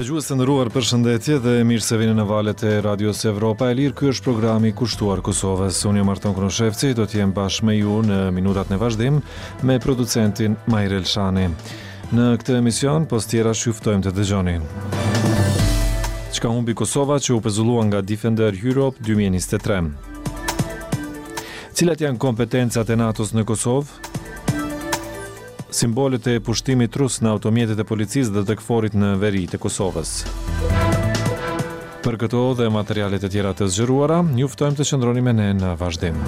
Dëgjues të nderuar, përshëndetje dhe mirë se vini në valët e Radios Evropa e Lirë. Ky është programi kushtuar Kosovës. Unë jam Arton Konushevci, do të jem bashkë me ju në minutat në vazhdim me producentin Mahir Elshani. Në këtë emision, pos tjerash ju ftojmë të dëgjoni. Çka humbi Kosova që u pezullua nga Defender Europe 2023? Cilat janë kompetencat e NATO-s në Kosovë? Simbolet e pushtimit rus në automjetet e policisë dhe të KFOR-it në veri të Kosovës. Për këto dhe materialet e tjera të zgjeruara, ju ftojmë të qëndroni me ne në vazhdim.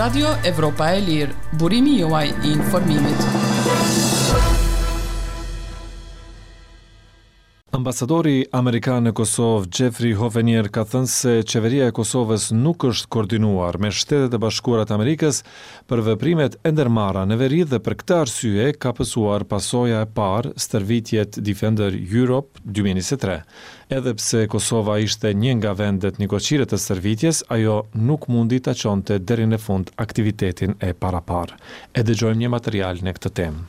Radio Evropa e Lirë, burimi juaj i informimit. Ambasadori amerikan në Kosovë, Jeffrey Hovenier ka thënë se qeveria e Kosovës nuk është koordinuar me Shtetet e Bashkuara të Amerikës për veprimet e ndërmarra në veri dhe për këtë arsye ka pësuar pasoja e parë stërvitjet Defender Europe 2023. Edhe pse Kosova ishte një nga vendet nikoqire të stërvitjes, ajo nuk mundi ta çonte deri në fund aktivitetin e paraparë. E dëgjojmë një material në këtë temë.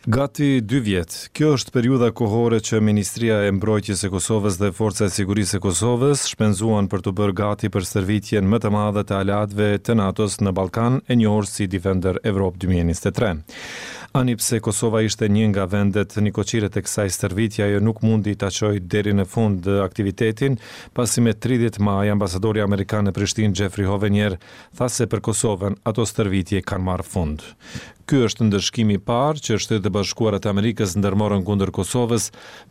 Gati dy vjet. Kjo është periudha kohore që Ministria e Mbrojtjes e Kosovës dhe Forca e Sigurisë së Kosovës shpenzuan për t'u bërë gati për stërvitjen më të madhe të aleatëve të NATO-s në Ballkan, e njohur si Defender Europe 2023. Ani pse Kosova ishte një nga vendet nikoqire të kësaj stërvitje, ajo nuk mundi ta çojë deri në fund aktivitetin, pasi me 30 maj ambasadori amerikan në Prishtinë Jeffrey Hovenier tha se për Kosovën ato stërvitje kanë marrë fund. Ky është ndëshkimi i parë që Shtetet e Bashkuara të Amerikës ndërmorën kundër Kosovës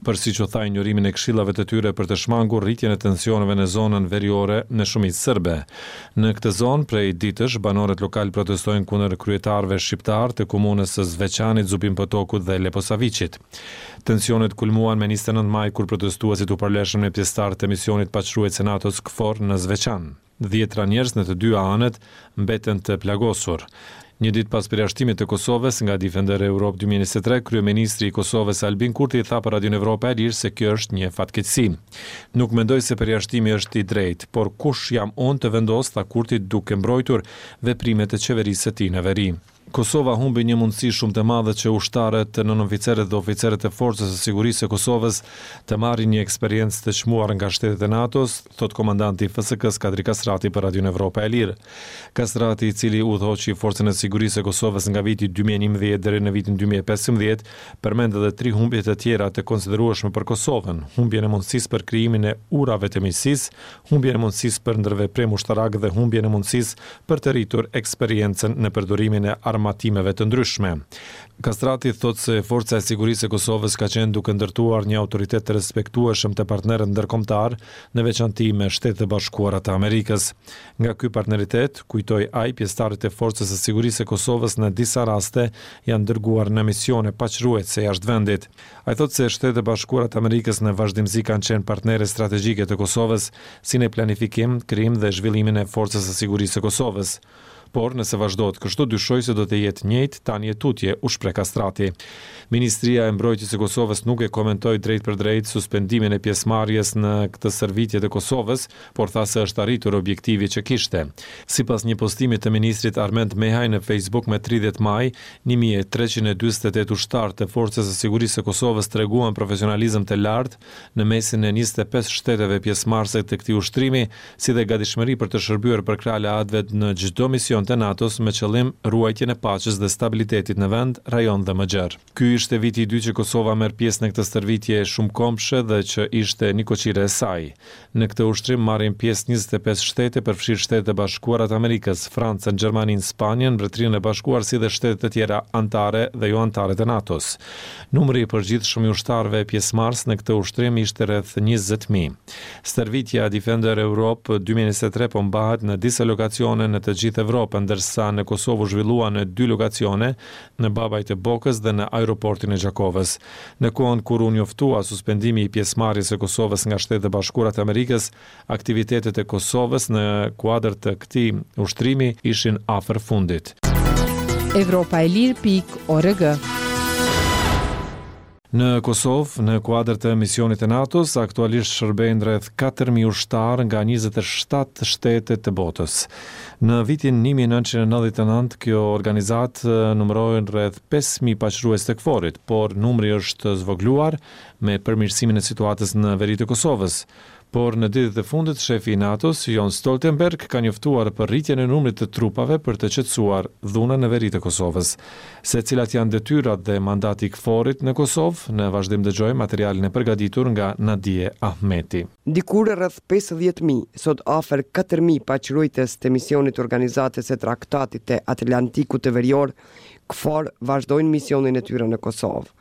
për siç u tha injorimin e këshillave të tyre për të shmangur rritjen e tensioneve në zonën veriore me shumicë serbe. Në këtë zonë prej ditësh banorët lokalë protestojnë kundër kryetarëve shqiptarë të komunës së Zveçanit, Zubin Potokut dhe Leposaviqit. Tensionet kulmuan me 29 maj kur protestuesit u përleshën me pjesëtarë të misionit paqeruajtës të NATO-s KFOR në Zveçan. Dhjetra njerëz në të dyja anët mbetën të plagosur. Një ditë pas përjashtimit të Kosovës nga Defender Europe 2023, kryeministri i Kosovës Albin Kurti tha për Radion Evropa e Lirë se kjo është një fatkeqësi. Nuk mendoj se përjashtimi është i drejtë, por kush jam unë të vendos, tha Kurti duke mbrojtur veprimet e qeverisë së tij në veri. Kosova humbi një mundësi shumë të madhe që ushtarët, nënoficerët dhe oficerët e Forcës së Sigurisë së Kosovës të marrin një eksperiencë të çmuar nga shtetet e NATO-s, thotë komandanti i FSK-së Kadri Kastrati për Radion Evropa e Lirë. Kastrati, i cili udhëhoqi Forcën e Sigurisë së Kosovës nga viti 2011 deri në vitin 2015, përmend edhe tri humbje të tjera të konsiderueshme për Kosovën, humbjen e mundësisë për krijimin e urave të miqësisë, humbjen e mundësisë për ndërveprim ushtarak dhe humbjen e mundësisë për të rritur eksperiencën në përdorimin e armatimeve të ndryshme. Kastrati thotë se Forca e Sigurisë së Kosovës ka qenë duke ndërtuar një autoritet të respektueshëm te partnerët ndërkombëtarë, në veçanti me Shtetet e Bashkuara të Amerikës. Nga ky partneritet, kujtoi ai, pjesëtarët e Forcës së Sigurisë së Kosovës në disa raste janë dërguar në misione paqeruajtëse jashtë vendit. Ai thotë se Shtetet e Bashkuara të Amerikës në vazhdimësi kanë qenë partnere strategjike të Kosovës, si në planifikim, krijim dhe zhvillimin e Forcës së Sigurisë së Kosovës. Por, nëse vazhdohet kështu, dyshoj se do të jetë njëjtë tani e tutje, u shpreh Kastrati. Ministria e Mbrojtjes e Kosovës nuk e komentoi drejtpërdrejt suspendimin e pjesëmarrjes në këtë stërvitje të Kosovës, por tha se është arritur objektivi që kishte. Sipas një postimi të ministrit Armend Mehaj në Facebook me 30 maj, 1348 ushtarë të Forcës së Sigurisë së Kosovës treguan profesionalizëm të lartë në mesin e 25 shteteve pjesëmarrëse të këtij ushtrimi, si dhe gatishmëri për të shërbyer përkrah aleatëve në çdo mision të NATO-s me qëllim ruajtjen e paqes dhe stabilitetit në vend, rajon dhe më gjerë. Ky ishte viti i dytë që Kosova merr pjesë në këtë stërvitje shumëkombëshe dhe që ishte nikoqire e saj. Në këtë ushtrim marrin pjesë 25 shtete, përfshirë Shtetet e Bashkuara të Amerikës, Francën, Gjermaninë, Spanjën, Mbretërinë e Bashkuar si dhe shtete të tjera anëtare dhe jo anëtare të NATO-s. Numri i përgjithshëm i ushtarëve pjesëmarrës në këtë ushtrim ishte rreth 20.000. Stërvitja Defender Europe 2023 po mbahet në disa lokacione në të gjithë Evropën, ndërsa në Kosovë u zhvillua në dy lokacione, në Babaj të Bokës dhe në aeroportin e Gjakovës. Në kohën kur u njoftua suspendimi i pjesëmarrjes së Kosovës nga Shtetet e Bashkuara të Amerikës, aktivitetet e Kosovës në kuadër të këtij ushtrimi ishin afër fundit. Evropa e Lirë pikë org. Në Kosovë, në kuadër të misionit të NATO-s, aktualisht shërbejnë rreth 4.000 ushtarë nga 27 shtete të botës. Në vitin 1999, kjo organizatë numëroi rreth 5.000 paqëruajtës të KFOR-it, por numri është zvogëluar me përmirësimin e situatës në veri të Kosovës. Por në ditët e fundit, shefi i NATO-s, Jens Stoltenberg, ka njoftuar për rritjen e numrit të trupave për të qetësuar dhunën në veri të Kosovës. Se cilat janë detyrat dhe mandati i KFOR-it në Kosovë, në vazhdim dëgjojmë materialin e përgatitur nga Nadie Ahmeti. Dikur rreth 50.000, sot afër 4.000 paqëruajtës të misionit të Organizatës së Traktatit të Atlantikut të Verior, KFOR, vazhdojnë misionin e tyre në Kosovë.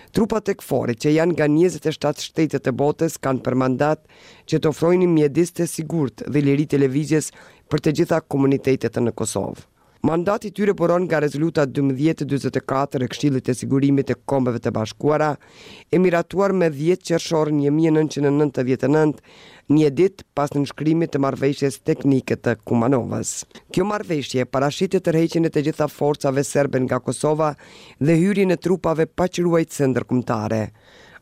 Trupat e KFOR-it, që janë nga 27 shtete të botës, kanë për mandat që të ofrojnë mjedis të sigurt dhe liri të lëvizjes për të gjitha komunitetet në Kosovë. Mandati i tyre buron nga rezoluta 1244 e Këshillit të Sigurimit të Kombeve të Bashkuara, e miratuar me 10 qershor 1999, një ditë pas nënshkrimit të marrëveshjes teknike të Kumanovës. Kjo marrëveshje parashihte tërheqjen e të gjitha forcave serbe nga Kosova dhe hyrjen e trupave paqëruajtëse ndërkombëtare.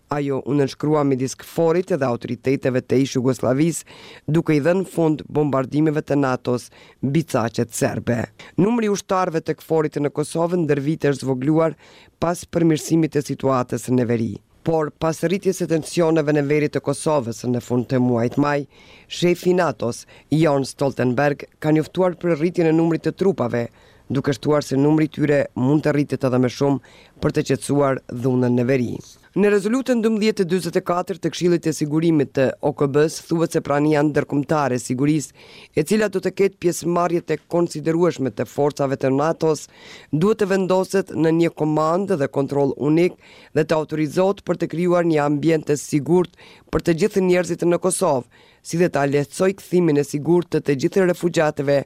Ajo u nënshkrua midis KFOR-it dhe autoriteteve të ish Jugosllavisë, duke i dhënë fund bombardimeve të NATO-s mbi caqet serbe. Numri i ushtarëve të KFOR-it në Kosovë ndër vite është zvogëluar pas përmirësimit të situatës në veri. Por, pas rritjes së tensioneve në veri të Kosovës në fund të muajit maj, shefi i NATO-s, Jens Stoltenberg, ka njoftuar për rritjen e numrit të trupave, duke shtuar se numri i tyre mund të rritet edhe më shumë për të qetësuar dhunën në veri. Në rezolutën 1244 të Këshillit të Sigurimit të OKB-s thuhet se prania ndërkombëtare e sigurisë, e cila do të ketë pjesëmarrje të konsiderueshme të forcave të NATO-s, duhet të vendoset në një komandë dhe kontroll unik dhe të autorizohet për të krijuar një ambient të sigurt për të gjithë njerëzit në Kosovë, si dhe ta lehtësojë kthimin e sigurt të të gjithë refugjatëve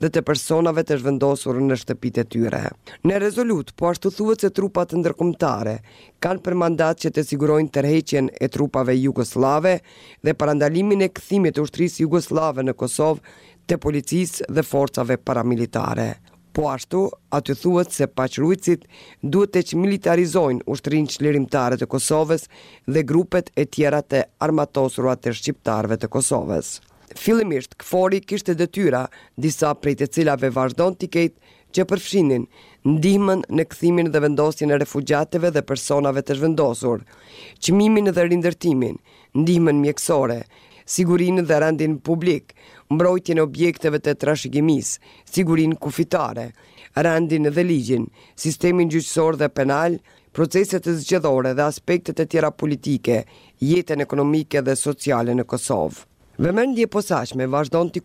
dhe të personave të zhvendosur në shtëpitë e tyre. Në rezolutë, po ashtu thuhet se trupat ndërkombëtare kanë për mandat që të sigurojnë tërheqjen e trupave jugosllave dhe parandalimin e kthimit të ushtrisë jugosllave në Kosovë të policisë dhe forcave paramilitare. Po ashtu, aty thuhet se paqëruajtësit duhet të çmilitarizojnë ushtrinë çlirimtare të Kosovës dhe grupet e tjera të armatosura të shqiptarëve të Kosovës. Fillimisht, KFOR-i kishte detyra, disa prej të cilave vazhdon t'i ketë, që përfshinin ndihmën në kthimin dhe vendosjen e refugjatëve dhe personave të zhvendosur, çmimin dhe rindërtimin, ndihmën mjekësore, sigurinë dhe rendin publik, mbrojtjen e objekteve të trashëgimisë, sigurinë kufitare, rendin dhe ligjin, sistemin gjyqësor dhe penal, proceset zgjedhore dhe aspektet e tjera politike, jetën ekonomike dhe sociale në Kosovë. Vëmendje e posaçme vazhdon t'i.